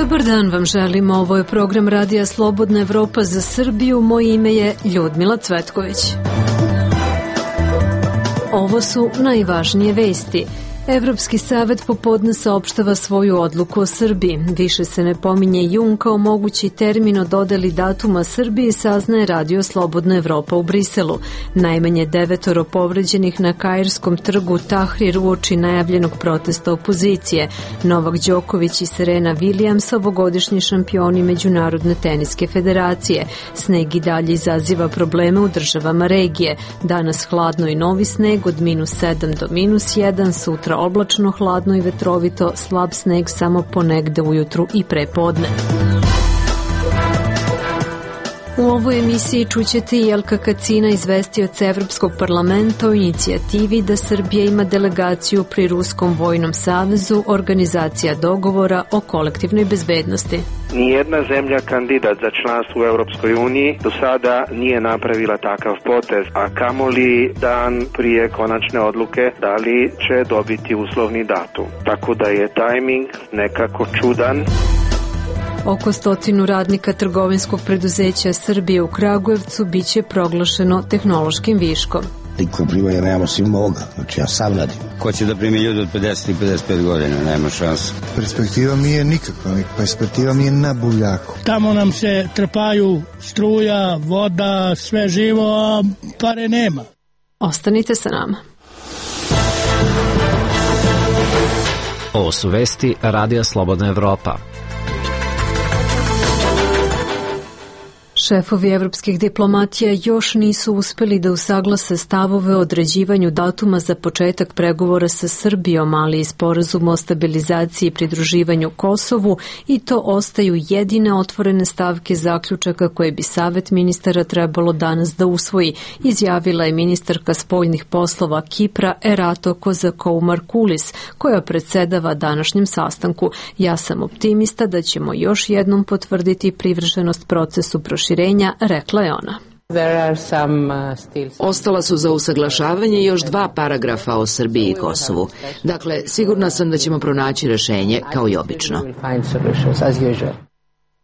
Dobar dan vam želimo, ovo je program Radija Slobodna Evropa za Srbiju, moje ime je Ljudmila Cvetković. Ovo su najvažnije vesti. Evropski savet popodne saopštava svoju odluku o Srbiji. Više se ne pominje jun kao mogući termin o dodeli datuma Srbiji, saznaje Radio Slobodna Evropa u Briselu. Najmanje 9 povređenih na Kairskom trgu Tahrir uoči najavljenog protesta opozicije. Novak Đoković i Serena Williams, ovogodišnji šampioni Međunarodne teniske federacije. Sneg i dalje izaziva probleme u državama regije. Danas hladno i novi sneg od -7 do -1, sutra oblačno, hladno i vetrovito, slab sneg samo ponegde ujutru i prepodne. U ovoj emisiji čućete i Jelka Kacina, izvestioca Evropskog parlamenta o inicijativi da Srbija ima delegaciju pri Ruskom vojnom savezu, organizacija dogovora o kolektivnoj bezbednosti. Nijedna zemlja kandidat za članstvo u Europskoj uniji do sada nije napravila takav potez, a kamoli dan prije konačne odluke da li će dobiti uslovni datum. Tako da je tajming nekako čudan. Oko 100 radnika trgovinskog preduzeća Srbije u Kragujevcu biće proglašeno tehnološkim viškom. Niko primanja nemamo svim ovoga, znači ja sam radim. Ko će da primi ljudi od 50 i 55 godina, nema šanse. Perspektiva mi je nikakva, perspektiva mi je na buljaku. Tamo nam se trpaju struja, voda, sve živo, a pare nema. Ostanite sa nama. Ovo su vesti Radija Slobodna Evropa. Šefovi evropskih diplomatija još nisu uspeli da usaglase stavove o određivanju datuma za početak pregovora sa Srbijom, ali i sporazum o stabilizaciji i pridruživanju Kosovu, i to ostaju jedine otvorene stavke zaključaka koje bi Savet ministara trebalo danas da usvoji, izjavila je ministarka spoljnih poslova Kipra Erato Kozakoumarkulis, koja predsedava današnjem sastanku. Ja sam optimista da ćemo još jednom potvrditi privrženost procesu proširenja, rekla je ona. Ostala su za usaglašavanje još 2 paragrafa o Srbiji i Kosovu. Dakle, sigurna sam da ćemo pronaći rešenje kao i obično.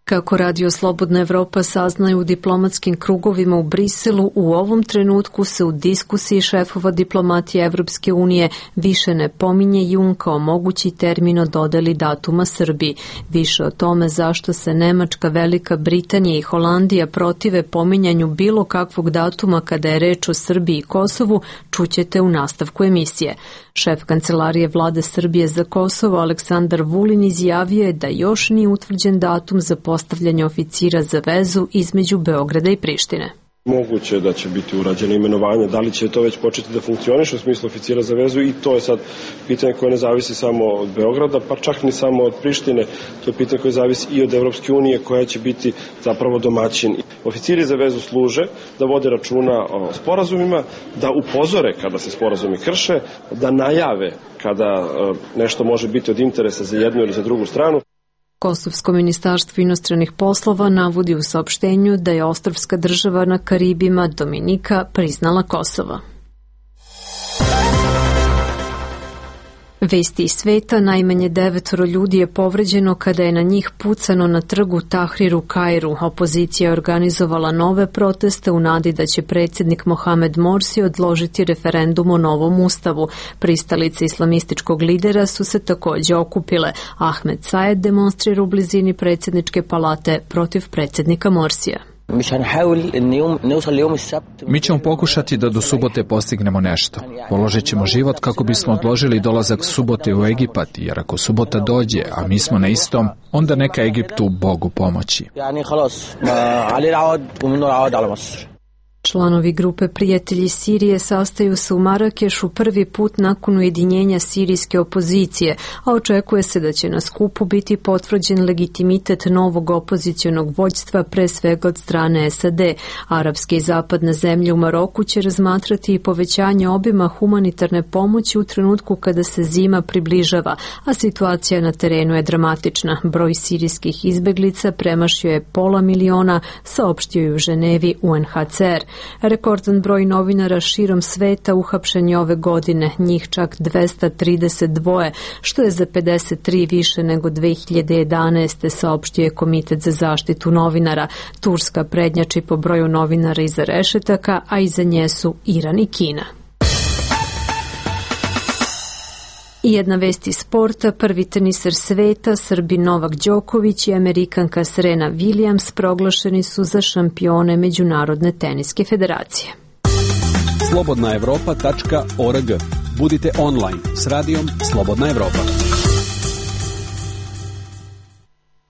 Kako Radio Slobodna Evropa saznaje u diplomatskim krugovima u Briselu, u ovom trenutku se u diskusiji šefova diplomatije Evropske unije više ne pominje jun kao mogući termin o dodeli datuma Srbiji. Više o tome zašto se Nemačka, Velika Britanija i Holandija protive pominjanju bilo kakvog datuma kada je reč o Srbiji i Kosovu čućete u nastavku emisije. Šef kancelarije vlade Srbije za Kosovo Aleksandar Vulin izjavio je da još nije utvrđen datum za postavljanje oficira za vezu između Beograda i Prištine. Moguće da će biti urađeno imenovanje, da li će to već početi da funkcioniše u smislu oficira za vezu, i to je sad pitanje koje ne zavisi samo od Beograda, pa čak ni samo od Prištine, to je pitanje koje zavisi i od Evropske unije koja će biti zapravo domaćin. Oficiri za vezu služe da vode računa o sporazumima, da upozore kada se sporazumi krše, da najave kada nešto može biti od interesa za jednu ili za drugu stranu. Kosovsko ministarstvo inostranih poslova navodi u saopštenju da je ostrvska država na Karibima Dominika priznala Kosovo. Vesti iz sveta, najmanje 9 ljudi je povređeno kada je na njih pucano na trgu Tahrir u Kairu. Opozicija je organizovala nove proteste u nadi da će predsjednik Mohamed Morsi odložiti referendum o novom ustavu. Pristalice islamističkog lidera su se također okupile. Ahmed Saed demonstrira u blizini predsjedničke palate protiv predsjednika Morsija. Mi ćemo pokušati da do subote postignemo nešto. Položit ćemo život kako bismo odložili dolazak subote u Egipat, jer ako subota dođe, a mi smo na istom, onda neka Egiptu Bogu pomoći. Članovi grupe Prijatelji Sirije sastaju se u Marakešu prvi put nakon ujedinjenja sirijske opozicije, a očekuje se da će na skupu biti potvrđen legitimitet novog opozicionog vođstva, pre svega od strane SAD. Arapske i zapadne zemlje u Maroku će razmatrati i povećanje obima humanitarne pomoći u trenutku kada se zima približava, a situacija na terenu je dramatična. Broj sirijskih izbeglica premašio je 500 000, saopštio je u Ženevi UNHCR. Rekordan broj novinara širom sveta uhapšen je ove godine, njih čak 232, što je za 53 više nego 2011. saopštio je Komitet za zaštitu novinara. Turska prednjači po broju novinara iza rešetaka, a iza nje su Iran i Kina. I jedna vest iz sporta, prvi teniser sveta, Srbin Novak Đoković i Amerikanka Serena Williams proglašeni su za šampione Međunarodne teniske federacije. slobodnaevropa.org. Budite online s radijom Slobodna Evropa.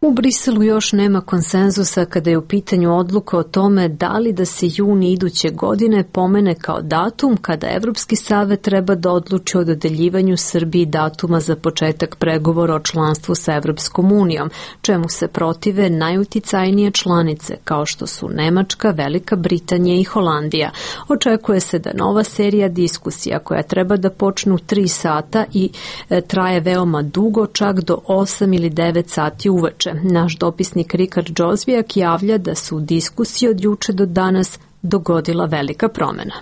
U Briselu još nema konsenzusa kada je u pitanju odluka o tome da li da se juni iduće godine pomene kao datum kada Evropski savet treba da odluči o dodeljivanju Srbiji datuma za početak pregovora o članstvu sa Evropskom unijom, čemu se protive najuticajnije članice kao što su Nemačka, Velika Britanija i Holandija. Očekuje se da nova serija diskusija koja treba da počnu 3 sata i traje veoma dugo, čak do 8 ili 9 sati uveče. Naš dopisnik Rikard Džozvijak javlja da su u diskusiji od juče do danas dogodila velika promena.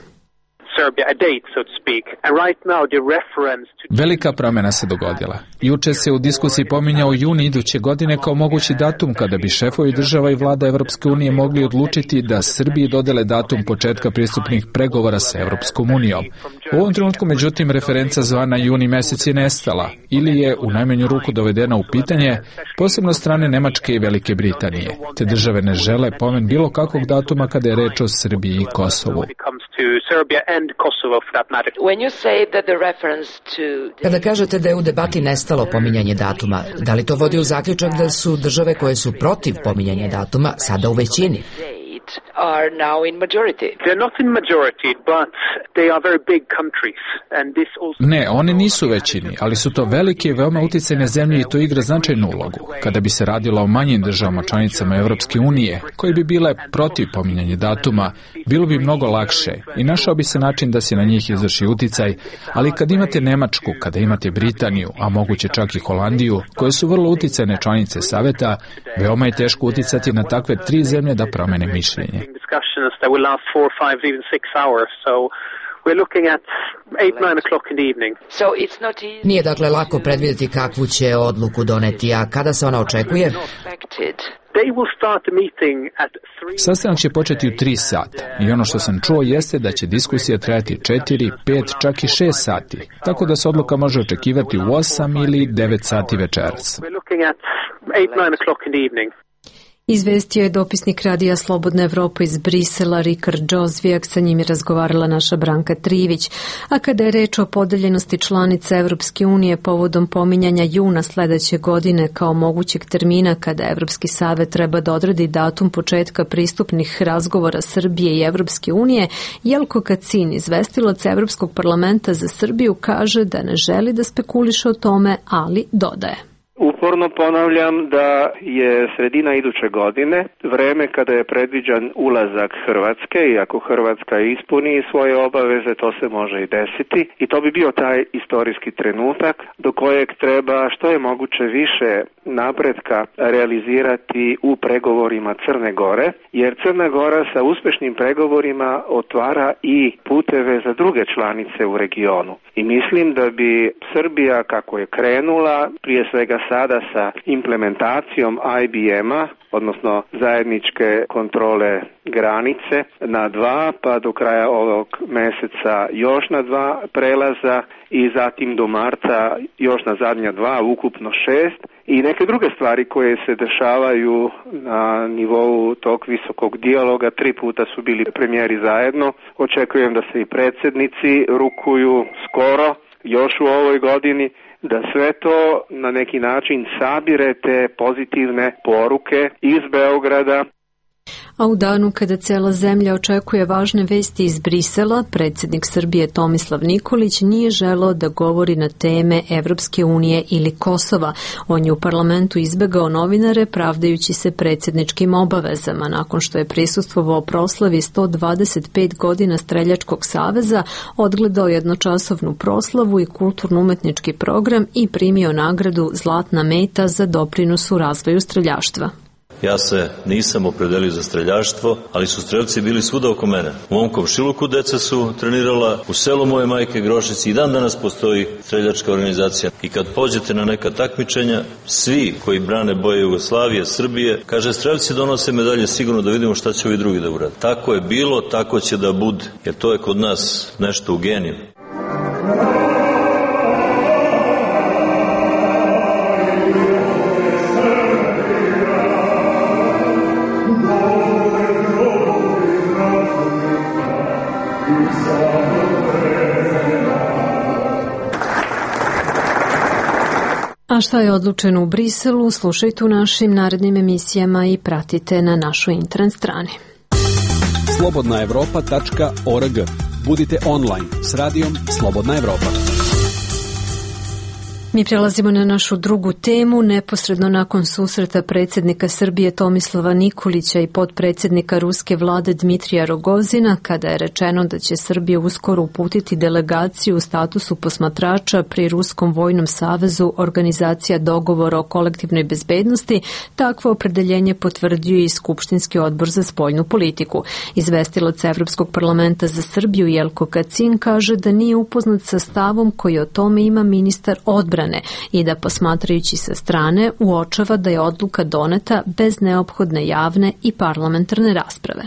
Velika promjena se dogodila. Juče se u diskusiji pominjao juni iduće godine kao mogući datum kada bi šefovi država i vlada Evropske unije mogli odlučiti da Srbiji dodele datum početka pristupnih pregovora sa Evropskom unijom. U ovom trenutku, međutim, referenca zvana juni mesec je nestala ili je u najmanju ruku dovedena u pitanje, posebno strane Nemačke i Velike Britanije. Te države ne žele pomen bilo kakvog datuma kada je reč o Srbiji i Kosovu. Kada kažete da je u debati nestalo pominjanje datuma, da li to vodi u zaključak da su države koje su protiv pominjanja datuma sada u većini? Ne, one nisu većini, ali su to velike i veoma uticajne zemlje i to igra značajnu ulogu. Kada bi se radilo o manjim državama članicama Evropske unije, koje bi bile protiv pominjanja datuma, bilo bi mnogo lakše i našao bi se način da se na njih izvrši uticaj, ali kad imate Nemačku, kada imate Britaniju, a moguće čak i Holandiju, koje su vrlo uticajne članice Saveta, veoma je teško uticati na takve 3 zemlje da promene mišljenje. Nije dakle lako predvidjeti kakvu će odluku doneti, a kada se ona očekuje? Sastanak će početi u 3 sata i ono što sam čuo jeste da će diskusija trajati 4, 5, čak i 6 sati, tako da se odluka može očekivati u 8 ili 9 sati večeras. Izvestio je dopisnik Radija Slobodna Evropa iz Brisela Rikard Džozvijak, sa njim je razgovarala naša Branka Trivić. A kada je reč o podeljenosti članica Evropske unije povodom pominjanja juna sledeće godine kao mogućeg termina kada Evropski savet treba da odredi datum početka pristupnih razgovora Srbije i Evropske unije, Jelko Kacin, izvestilac Evropskog parlamenta za Srbiju, kaže da ne želi da spekuliše o tome, ali dodaje. Uporno ponavljam da je sredina iduće godine vreme kada je predviđan ulazak Hrvatske i ako Hrvatska ispuni svoje obaveze, to se može i desiti i to bi bio taj istorijski trenutak do kojeg treba što je moguće više napretka realizirati u pregovorima Crne Gore, jer Crna Gora sa uspešnim pregovorima otvara i puteve za druge članice u regionu. I mislim da bi Srbija, kako je krenula, prije svega sada sa implementacijom IBM-a, odnosno zajedničke kontrole granice na 2, pa do kraja ovog meseca još na 2 prelaza i zatim do marta još na zadnja 2, ukupno 6. I neke druge stvari koje se dešavaju na nivou tog visokog dijaloga, 3 puta su bili premijeri zajedno. Očekujem da se i predsjednici rukuju skoro, još u ovoj godini, da sve to na neki način sabirete pozitivne poruke iz Beograda. A u danu kada cela zemlja očekuje važne vesti iz Brisela, predsjednik Srbije Tomislav Nikolić nije želeo da govori na teme Evropske unije ili Kosova. On je u parlamentu izbegao novinare pravdajući se predsjedničkim obavezama nakon što je prisustvovao proslavi 125 godina Streljačkog saveza, odgledao jednočasovnu proslavu i kulturno-umetnički program i primio nagradu Zlatna meta za doprinos u razvoju streljaštva. Ja se nisam opredelio za streljaštvo, ali su strelci bili svuda oko mene. U mom komšiluku deca su trenirala, u selu moje majke Grošici i dan danas postoji streljačka organizacija. I kad pođete na neka takmičenja, svi koji brane boje Jugoslavije, Srbije, kaže strelci donose medalje sigurno da vidimo šta će ovi drugi da urade. Tako je bilo, tako će da bude, jer to je kod nas nešto u geniju. A šta je odlučeno u Briselu, slušajte u našim narednim emisijama i pratite na našoj internet strani. slobodnaevropa.org. Budite online s radijom Slobodna Evropa. Mi prelazimo na našu drugu temu. Neposredno nakon susreta predsjednika Srbije Tomislava Nikolića i potpredsjednika ruske vlade Dmitrija Rogozina, kada je rečeno da će Srbija uskoro uputiti delegaciju u statusu posmatrača pri Ruskom vojnom savezu Organizacija dogovora o kolektivnoj bezbednosti, takvo opredeljenje potvrdio i Skupštinski odbor za spoljnu politiku. Izvestilac Evropskog parlamenta za Srbiju Jelko Kacin kaže da nije upoznat sa stavom koji o tome ima ministar odbrane i da posmatrajući sa strane uočava da je odluka doneta bez neophodne javne i parlamentarne rasprave.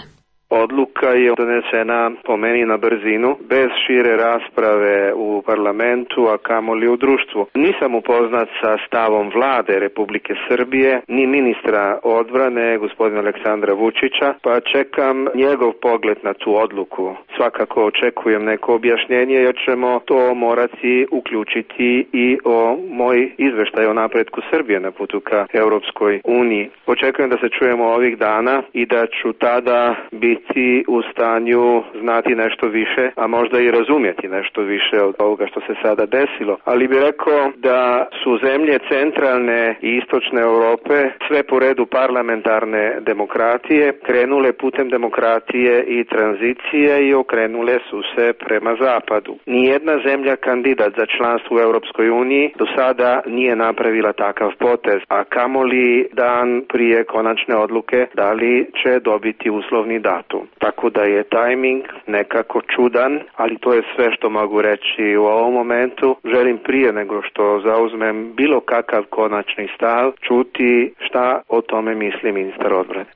Odluka je donesena po meni na brzinu, bez šire rasprave u parlamentu, a kamoli u društvu. Nisam upoznat sa stavom vlade Republike Srbije, ni ministra odbrane, gospodina Aleksandra Vučića, pa čekam njegov pogled na tu odluku. Svakako očekujem neko objašnjenje, jer ćemo to morati uključiti i o moj izveštaj o napretku Srbije na putu ka Europskoj uniji. Očekujem da se čujemo ovih dana i da ću tada biti u stanju znati nešto više, a možda i razumjeti nešto više od ovoga što se sada desilo. Ali bih rekao da su zemlje centralne i istočne Europe sve po redu parlamentarne demokratije krenule putem demokratije i tranzicije i okrenule su se prema zapadu. Nijedna zemlja kandidat za članstvo u Europskoj uniji do sada nije napravila takav potez, a kamoli dan prije konačne odluke da li će dobiti uslovni datum. Tako da je tajming nekako čudan, ali to je sve što mogu reći u ovom momentu. Želim prije nego što zauzmem bilo kakav konačni stav čuti šta o tome misli ministar odbrane.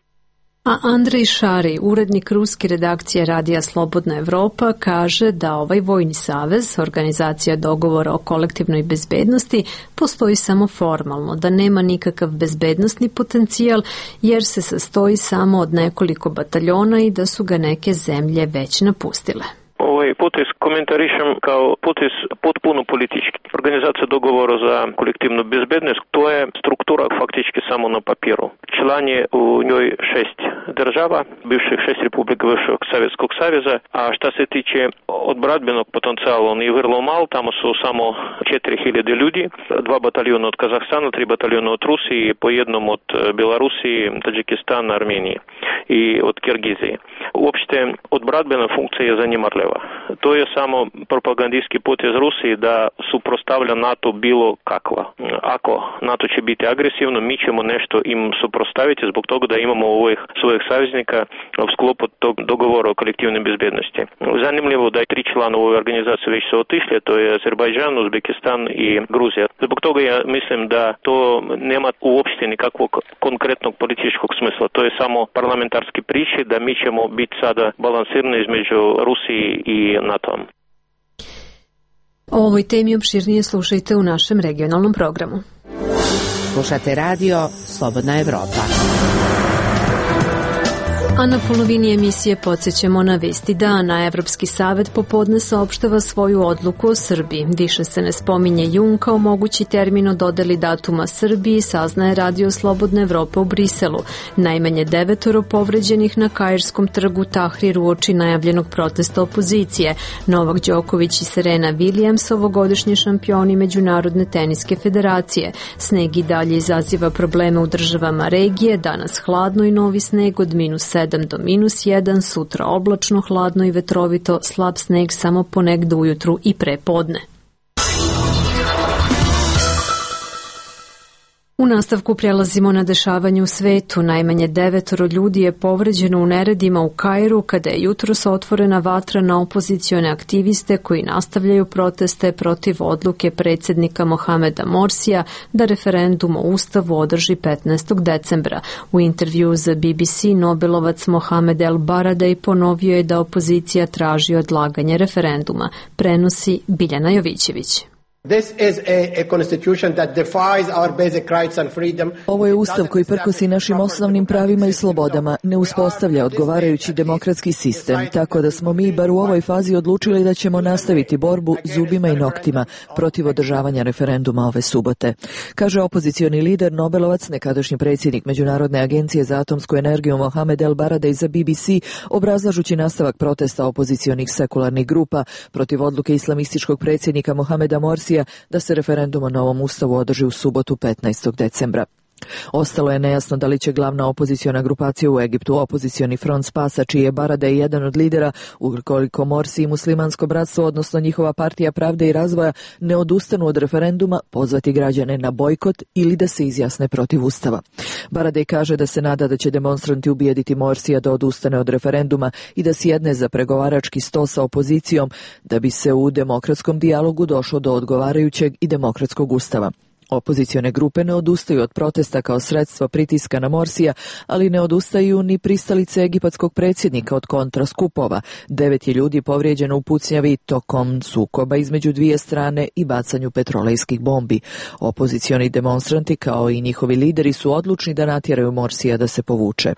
A Andrej Šari, urednik ruske redakcije Radija Slobodna Evropa, kaže da ovaj vojni savez, Organizacija dogovora o kolektivnoj bezbednosti, postoji samo formalno, da nema nikakav bezbednosni potencijal jer se sastoji samo od nekoliko bataljona i da su ga neke zemlje već napustile. Ovaj potez komentarišem kao potez potpuno politički. Organizacija dogovora za kolektivnu bezbednost, to je struktura faktički samo na papiru. Član je u njoj 6 država, bivših 6 republika bivšeg Sovjetskog saveza, a šta se tiče odbranbenog potencijala, on je vrlo mal, tamo su samo 4000 ljudi, 2 bataljona od Kazahstana, 3 bataljona od Rusije, po jednom od Belorusije, Tadžikistana, Armenije i od Kirgizije. Uopšte odbranbena funkcija je zanemarljiva. To je samo propagandijski potez Rusiji da suprostavlja NATO bilo kakva. Ako NATO će biti agresivno, mi ćemo nešto im suprostaviti zbog toga da imamo ovih svojih saveznika u sklopu tog dogovora o kolektivnoj bezbednosti. Zanimljivo da je 3 člana ove organizacije već su otišli, to je Azerbajdžan, Uzbekistan i Gruzija. Zbog toga ja mislim da to nema uopšte nikakvog konkretnog političkog smisla. To je samo parlamentarski priče da mi ćemo biti sada balansirani između Rusiji i NATO-om. O ovoj temi opširnije slušajte u našem regionalnom programu. Slušate radio Slobodna Evropa. A na polovini emisije podsjećamo na vesti dana. Evropski savet popodne saopštava svoju odluku o Srbiji. Više se ne spominje jun kao mogući termin o dodeli datuma Srbiji, saznaje Radio Slobodna Evropa u Briselu. Najmanje 9 povređenih na Kairskom trgu Tahrir uoči najavljenog protesta opozicije. Novak Đoković i Serena Williams, ovogodišnji šampioni Međunarodne teniske federacije. Sneg i dalje izaziva probleme u državama regije, danas hladno i novi sneg od -7 do -1, sutra oblačno, hladno i vetrovito, slab sneg samo ponegde ujutru i prepodne. U nastavku prelazimo na dešavanje u svetu. Najmanje 9 ljudi je povređeno u neredima u Kairu kada je jutros otvorena vatra na opozicione aktiviste koji nastavljaju proteste protiv odluke predsjednika Mohameda Morsija da referendum o Ustavu održi 15. decembra. U intervju za BBC Nobelovac Mohamed El Baradei ponovio je da opozicija traži odlaganje referenduma. Prenosi Biljana Jovićević. Ovo je ustav koji prkosi našim osnovnim pravima i slobodama, ne uspostavlja odgovarajući demokratski sistem, tako da smo mi bar u ovoj fazi odlučili da ćemo nastaviti borbu zubima i noktima protiv održavanja referenduma ove subote. Kaže opozicioni lider, Nobelovac, nekadašnji predsjednik Međunarodne agencije za atomsku energiju Mohamed El Baradei za BBC, obrazlažući nastavak protesta opozicionih sekularnih grupa protiv odluke islamističkog predsjednika Mohameda Morsija da se referendum o novom ustavu održi u subotu 15. decembra. Ostalo je nejasno da li će glavna opoziciona grupacija u Egiptu, opozicioni front Spasa, čiji je Baradei jedan od lidera, ukoliko Morsi i Muslimansko bratstvo, odnosno njihova partija Pravde i razvoja, ne odustanu od referenduma, pozvati građane na bojkot ili da se izjasne protiv ustava. Baradei kaže da se nada da će demonstranti ubijediti Morsija da odustane od referenduma i da sjedne za pregovarački sto sa opozicijom, da bi se u demokratskom dijalogu došlo do odgovarajućeg i demokratskog ustava. Opozicione grupe ne odustaju od protesta kao sredstvo pritiska na Morsija, ali ne odustaju ni pristalice egipatskog predsjednika od kontraskupova. 9 je ljudi povrijeđeno u pucnjavi tokom sukoba između dvije strane i bacanju petrolejskih bombi. Opozicioni demonstranti kao i njihovi lideri su odlučni da natjeraju Morsija da se povuče.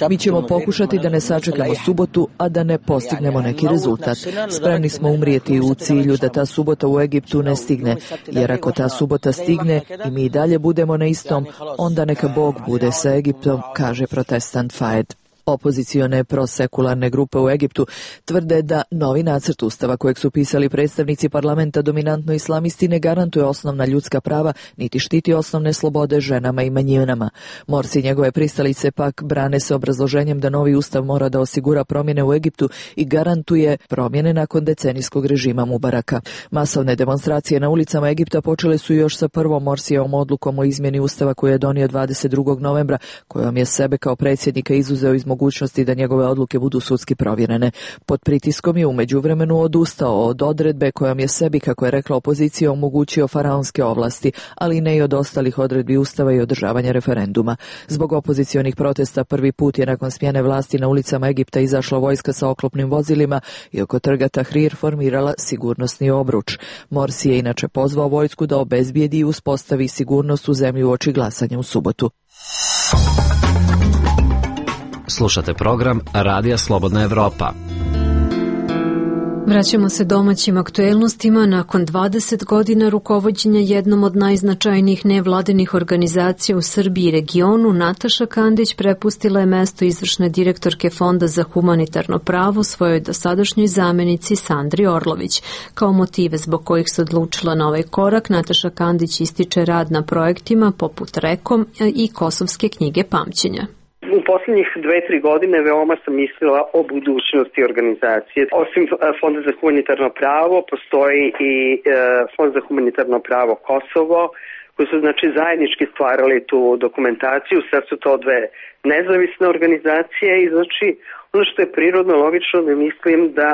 Mi ćemo pokušati da ne sačekamo subotu, a da ne postignemo neki rezultat. Spremni smo umrijeti u cilju da ta subota u Egiptu ne stigne. Jer ako ta subota stigne i mi dalje budemo na istom, onda neka Bog bude sa Egiptom, kaže protestant Faed. Opozicione prosekularne grupe u Egiptu tvrde da novi nacrt ustava kojeg su pisali predstavnici parlamenta dominantno islamisti ne garantuje osnovna ljudska prava niti štiti osnovne slobode ženama i manjinama. Morsi i njegove pristalice pak brane se obrazloženjem da novi ustav mora da osigura promjene u Egiptu i garantuje promjene nakon decenijskog režima Mubaraka. Masovne demonstracije na ulicama Egipta počele su još sa prvom Morsijevom odlukom o izmjeni ustava koju je donio 22. novembra, kojom je sebe kao predsjednika izuzeo iz mogućnosti da njegove odluke budu sudski provjerene. Pod pritiskom je u međuvremenu odustao od odredbe kojom je sebi, kako je rekla opozicija, omogućio faraonske ovlasti, ali ne i od ostalih odredbi ustava i održavanja referenduma. Zbog opozicionih protesta prvi put je nakon smjene vlasti na ulicama Egipta izašla vojska sa oklopnim vozilima i oko trga Tahrir formirala sigurnosni obruč. Morsi je inače pozvao vojsku da obezbijedi i uspostavi sigurnost u zemlji uoči glasanja u subotu. Slušate program Radija Slobodna Evropa. Vraćamo se domaćim aktuelnostima. Nakon 20 godina rukovođenja jednom od najznačajnijih nevladinih organizacija u Srbiji i regionu, Nataša Kandić prepustila je mesto izvršne direktorke Fonda za humanitarno pravo svojoj dosadašnjoj zamenici Sandri Orlović. Kao motive zbog kojih se odlučila na ovaj korak, Nataša Kandić ističe rad na projektima poput Rekom i Kosovske knjige pamćenja. U posljednjih 2-3 godine veoma sam mislila o budućnosti organizacije. Osim Fonda za humanitarno pravo, postoji i Fond za humanitarno pravo Kosovo, koji su zajednički stvarali tu dokumentaciju. Sad su to dve nezavisne organizacije i ono što je prirodno logično da mislim da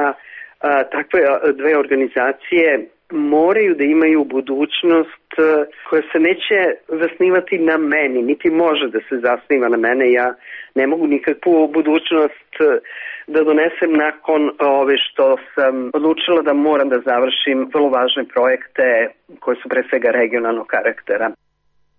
takve dve organizacije moraju da imaju budućnost koja se neće zasnivati na meni, niti može da se zasniva na mene. Ja ne mogu nikakvu budućnost da donesem nakon ove što sam odlučila da moram da završim vrlo važne projekte koje su pre svega regionalnog karaktera.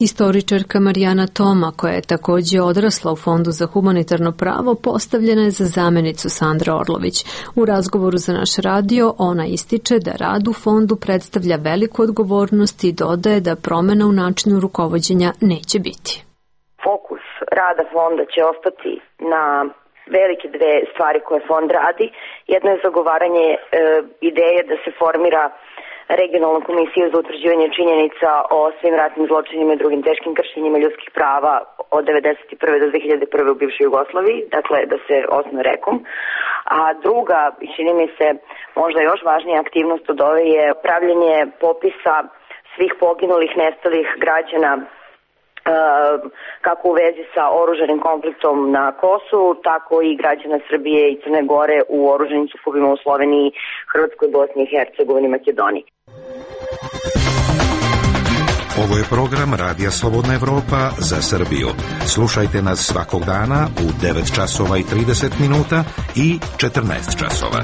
Istoričarka Marijana Toma, koja je također odrasla u Fondu za humanitarno pravo, postavljena je za zamenicu Sandra Orlović. U razgovoru za naš radio ona ističe da rad u fondu predstavlja veliku odgovornost i dodaje da promjena u načinu rukovođenja neće biti. Fokus rada fonda će ostati na velike dve stvari koje fond radi. Jedno je zagovaranje ideje da se formira regionalna komisija za utvrđivanje činjenica o svim ratnim zločinima i drugim teškim kršenjima ljudskih prava od 1991. do 2001. u bivšoj Jugoslaviji, dakle da se osnuje Rekom. A druga, čini mi se možda još važnija aktivnost od ove, je pravljenje popisa svih poginulih, nestalih građana kako u vezi sa oružanim konfliktom na Kosovu, tako i građana Srbije i Crne Gore u oružanim sukobima u Sloveniji, Hrvatskoj, Bosni i Hercegovini i Makedoniji. Ovo je program Radija Slobodna Evropa za Srbiju. Slušajte nas svakog dana u 9 časova i 30 minuta i 14 časova.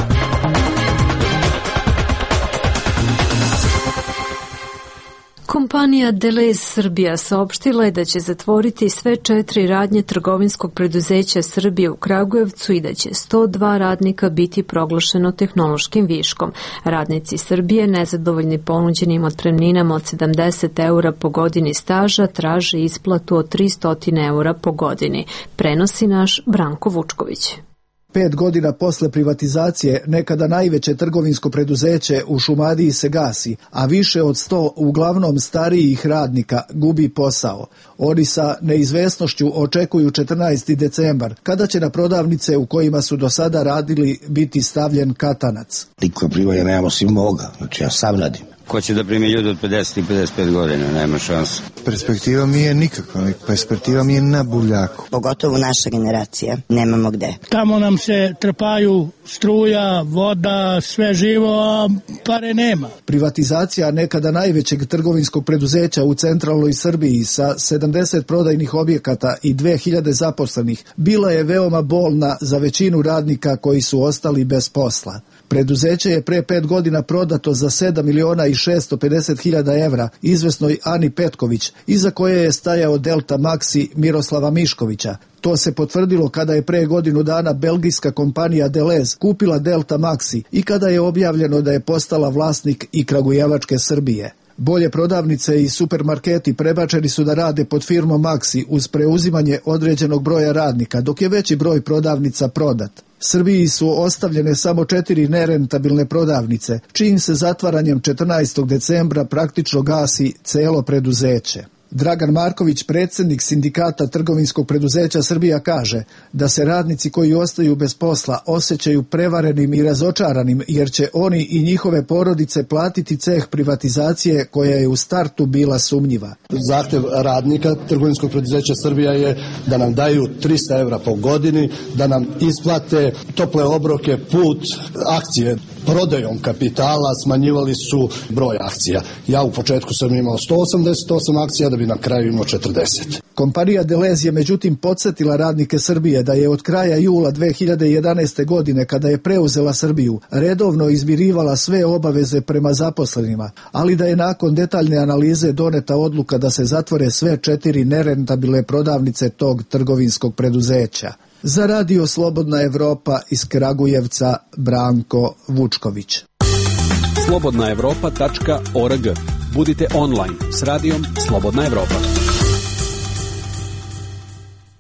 Kompanija Delez Srbija saopštila je da će zatvoriti sve 4 radnje trgovinskog preduzeća Srbije u Kragujevcu i da će 102 radnika biti proglašeno tehnološkim viškom. Radnici Srbije, nezadovoljni ponuđenim otpremninama od 70 eura po godini staža, traže isplatu od 300 eura po godini. Prenosi naš Branko Vučković. 5 godina posle privatizacije nekada najveće trgovinsko preduzeće u Šumadiji se gasi, a više od 100 uglavnom starijih radnika gubi posao. Oni sa neizvesnošću očekuju 14. decembar, kada će na prodavnice u kojima su do sada radili biti stavljen katanac. Niko primanja nemamo svi moga, znači ja sam radim. Ko će da primi ljudi od 50 i 55 godina, nema šanse. Perspektiva mi je nikakva, perspektiva mi je na buljaku. Pogotovo naša generacija, nemamo gde. Tamo nam se trpaju struja, voda, sve živo, a pare nema. Privatizacija nekada najvećeg trgovinskog preduzeća u centralnoj Srbiji sa 70 prodajnih objekata i 2000 zaposlenih bila je veoma bolna za većinu radnika koji su ostali bez posla. Preduzeće je pre 5 godina prodato za 7.650.000 evra izvesnoj Ani Petković, iza koje je stajao Delta Maxi Miroslava Miškovića. To se potvrdilo kada je pre godinu dana belgijska kompanija Delez kupila Delta Maxi i kada je objavljeno da je postala vlasnik i kragujevačke Srbije. Bolje prodavnice i supermarketi prebačeni su da rade pod firmom Maxi uz preuzimanje određenog broja radnika, dok je veći broj prodavnica prodat. Srbiji su ostavljene samo 4 nerentabilne prodavnice, čijim se zatvaranjem 14. decembra praktično gasi celo preduzeće. Dragan Marković, predsjednik sindikata trgovinskog preduzeća Srbija, kaže da se radnici koji ostaju bez posla osjećaju prevarenim i razočaranim jer će oni i njihove porodice platiti ceh privatizacije koja je u startu bila sumnjiva. Zahtev radnika trgovinskog preduzeća Srbija je da nam daju 300 evra po godini, da nam isplate tople obroke, put, akcije. Prodajom kapitala smanjivali su broj akcija. Ja u početku sam imao 188 akcija da bi na kraju imao 40. Kompanija Delez je međutim podsjetila radnike Srbije da je od kraja jula 2011. godine, kada je preuzela Srbiju, redovno izmirivala sve obaveze prema zaposlenima, ali da je nakon detaljne analize doneta odluka da se zatvore sve 4 nerentabilne prodavnice tog trgovinskog preduzeća. Za Radio Slobodna Evropa iz Kragujevca, Branko Vučković. slobodnaevropa.org. Budite online s radijom Slobodna Evropa.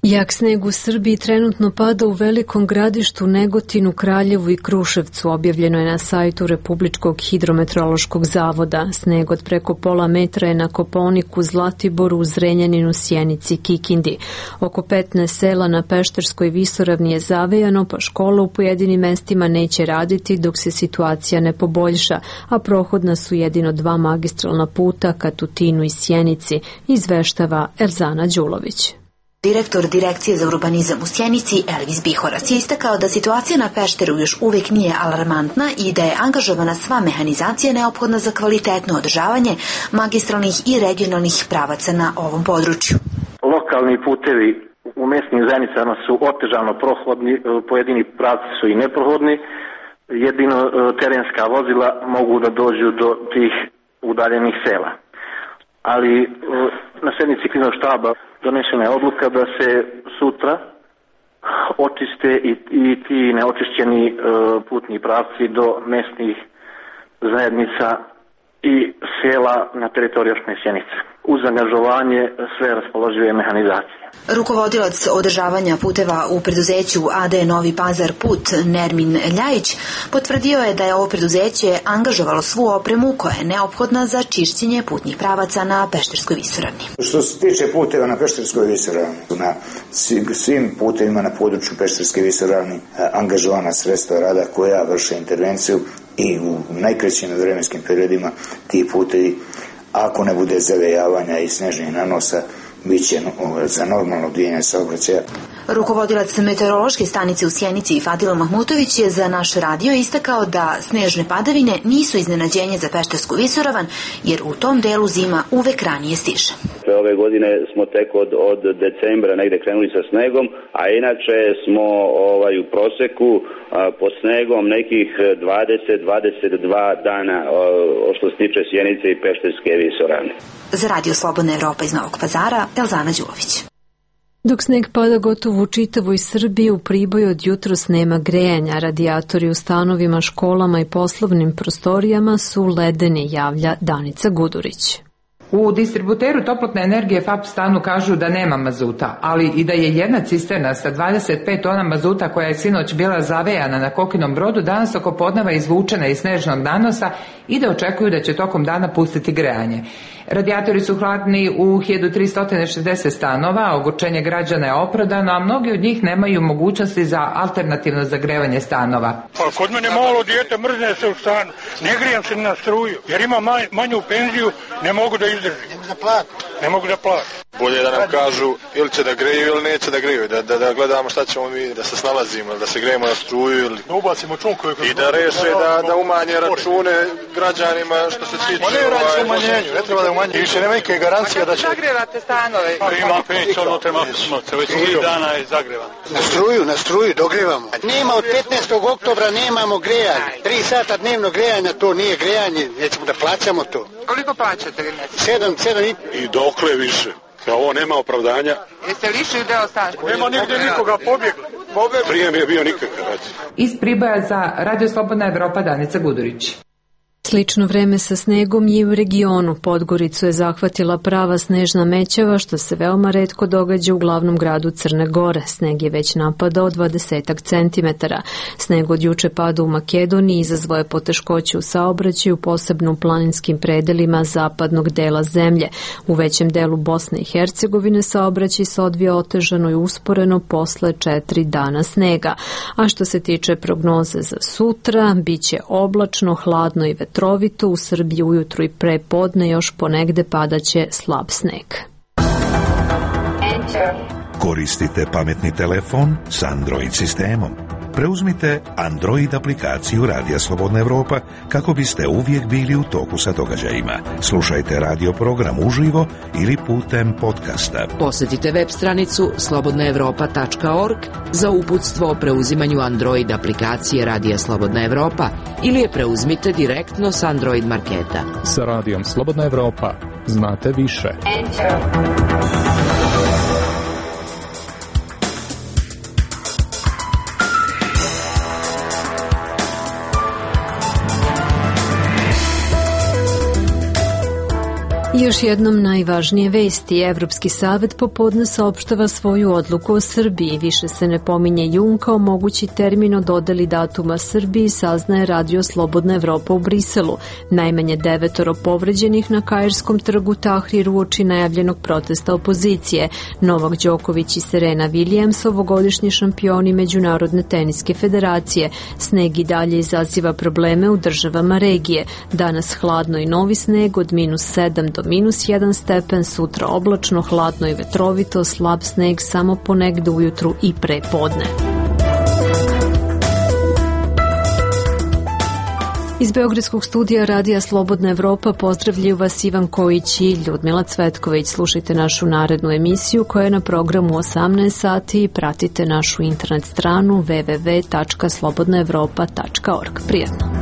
Jak sneg u Srbiji trenutno pada u Velikom Gradištu, Negotinu, Kraljevu i Kruševcu, objavljeno je na sajtu Republičkog hidrometeorološkog zavoda. Sneg od preko pola metra je na Kopaoniku, Zlatiboru, Zrenjaninu, Sjenici, Kikindi. Oko 15 sela na Pešterskoj visoravni je zavejano, pa škola u pojedinim mestima neće raditi dok se situacija ne poboljša, a prohodna su jedino 2 magistralna puta ka Tutinu i Sjenici, izveštava Erzana Đulović. Direktor Direkcije za urbanizam u Sjenici, Elvis Bihorac, je istakao da situacija na Pešteru još uvijek nije alarmantna i da je angažovana sva mehanizacija neophodna za kvalitetno održavanje magistralnih i regionalnih pravaca na ovom području. Lokalni putevi u mesnim zajednicama su otežano prohodni, pojedini pravci su i neprohodni, jedino terenska vozila mogu da dođu do tih udaljenih sela. Ali na sednici kriznog štaba donešena je odluka da se sutra očiste i ti neočišćeni putni pravci do mesnih zajednica i sela na teritoriji opštine Sjenica. Uz angažovanje sve raspoložive mehanizacije. Rukovodilac održavanja puteva u preduzeću AD Novi Pazar Put, Nermin Ljajić, potvrdio je da je ovo preduzeće angažovalo svu opremu koja je neophodna za čišćenje putnih pravaca na Pešterskoj visoravni. Što se tiče puteva na Pešterskoj visoravni, na svim putevima na području Pešterske visoravni angažovana sredstva rada koja vrše intervenciju i u najkraćim vremenskim periodima ti putevi Ako ne bude zavejavanja i snežnih nanosa, bit će za normalno odvijanje saobraćaja. Rukovodilac meteorološke stanice u Sjenici i Fadil Mahmutović je za naš radio istakao da snežne padavine nisu iznenađenje za Peštersku visoravan, jer u tom delu zima uvek ranije stiže. Ove godine smo tek od decembra negde krenuli sa snegom, a inače smo u proseku pod snegom nekih 20-22 dana što se tiče Sjenice i Pešterske visoravne. Za Radio Slobodna Evropa iz Novog Pazara, Elzana Đulović. Dok sneg pada gotovo u čitavoj Srbiji, u Priboju od jutros nema grejanja. Radijatori u stanovima, školama i poslovnim prostorijama su ledeni, javlja Danica Gudurić. U distributeru toplotne energije FAP stanu kažu da nema mazuta, ali i da je jedna cisterna sa 25 tona mazuta koja je sinoć bila zavejana na Kokinom Brodu danas oko podneva izvučena iz snežnog nanosa i da očekuju da će tokom dana pustiti grejanje. Radijatori su hladni u 1360 stanova, ogorčenje građana je opravdano, a mnogi od njih nemaju mogućnosti za alternativno zagrevanje stanova. Pa kod mene malo dijete mrzne se u stanu, ne grijem se na struju, jer ima manju penziju, ne mogu da izdržim. Ne mogu da platim. Bolje da nam kažu ili će da greju ili neće da greju, da gledamo šta ćemo mi, da se snalazimo, da se grejemo na struju ili... Da ubacimo čunkovi. I da reše da umanje račune građanima što se tiče... Ma ne radi se umanjenju, ne treba da umanje. I više nema neke garancija da će... Zagrevate stanove. Ima peć, ono treba smoce, već 3 dana je zagrevan. Na struju dogrevamo. Nema od 15. oktobra nemamo grejanje. 3 sata dnevno grejanja, to nije grejanje, nećemo da plaćamo to. Koliko plaćate? 7,5. I dokle više. Ovo nema opravdanja. Jeste lišili deo stana? Nema nigde nikoga, pobjegli. Prije mi je bio nikakav. Iz Priboja za Radio Slobodna Evropa, Danica Gudurić. Slično vreme sa snegom je u regionu. Podgoricu je zahvatila prava snežna mećava, što se veoma retko događa u glavnom gradu Crne Gore. Sneg je već napadao 20 centimetara. Sneg od juče pada u Makedoniji, izazvao je poteškoće u saobraćaju, posebno u planinskim predelima zapadnog dela zemlje. U većem delu Bosne i Hercegovine saobraćaj se odvija otežano i usporeno posle 4 dana snega. A što se tiče prognoze za sutra, bit će oblačno, hladno i vetrovito. U Srbiji ujutru i pre podne još ponegde padaće slab sneg. Koristite pametni telefon s Android sistemom. Preuzmite Android aplikaciju Radija Slobodna Evropa kako biste uvijek bili u toku sa događajima. Slušajte radio program uživo ili putem podcasta. Posjetite web stranicu slobodnaevropa.org za uputstvo o preuzimanju Android aplikacije Radija Slobodna Evropa ili je preuzmite direktno s Android marketa. Sa Radijom Slobodna Evropa znate više. Još jednom najvažnije vesti. Evropski savet popodne saopštava svoju odluku o Srbiji. Više se ne pominje jun kao mogući termin o dodeli datuma Srbiji, saznaje Radio Slobodna Evropa u Briselu. Najmanje 9 povređenih na Kairskom trgu Tahrir uoči najavljenog protesta opozicije. Novak Đoković i Serena Williams, ovogodišnji šampioni Međunarodne teniske federacije. Sneg i dalje izaziva probleme u državama regije. Danas hladno i novi sneg od -7 do -1 stepen, sutra oblačno, hladno i vetrovito, slab sneg samo ponegde ujutru i pre podne. Iz Beogradskog studija Radija Slobodna Evropa pozdravljaju vas Ivan Kojić i Ljudmila Cvetković. Slušajte našu narednu emisiju koja je na programu 18 sati i pratite našu internet stranu www.slobodnaevropa.org. Prijetno!